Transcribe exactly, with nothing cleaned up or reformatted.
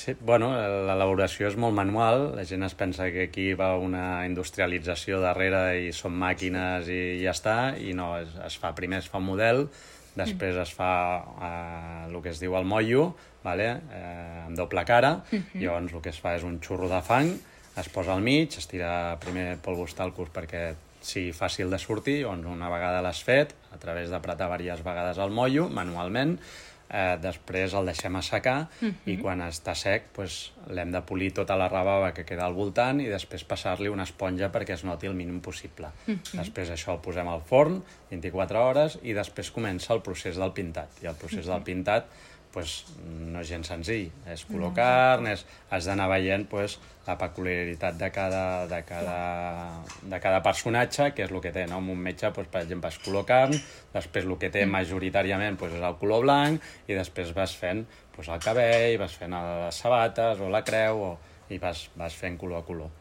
Sí, bueno, l'elaboració és molt manual, la gent es pensa que aquí va una industrialització darrere i són màquines i ja està, i no, es, es fa, primer es fa un model, després es fa eh, el que es diu el motllo, vale? eh, amb doble cara, uh-huh. Llavors el que es fa és un xurro de fang, es posa al mig, es tira primer polvos talcos perquè sigui fàcil de sortir, llavors una vegada l'has fet, a través d'apretar diverses vegades el motllo, manualment, eh, després el deixem assecar uh-huh. i quan està sec pues, l'hem de polir tota la rebava que queda al voltant i després passar-li una esponja perquè es noti el mínim possible. Uh-huh. Després això el posem al forn, vint-i-quatre hores, i després comença el procés del pintat. I el procés uh-huh. del pintat pues, no és gens senzill, és color no. carn, és, has d'anar veient pues, la peculiaritat de cada, de, cada, de cada personatge, que és el que té, no? Un metge, pues, per exemple, és color carn, després el que té majoritàriament pues, és el color blanc, i després vas fent pues, el cabell, vas fent les sabates o la creu, o, i vas, vas fent color a color.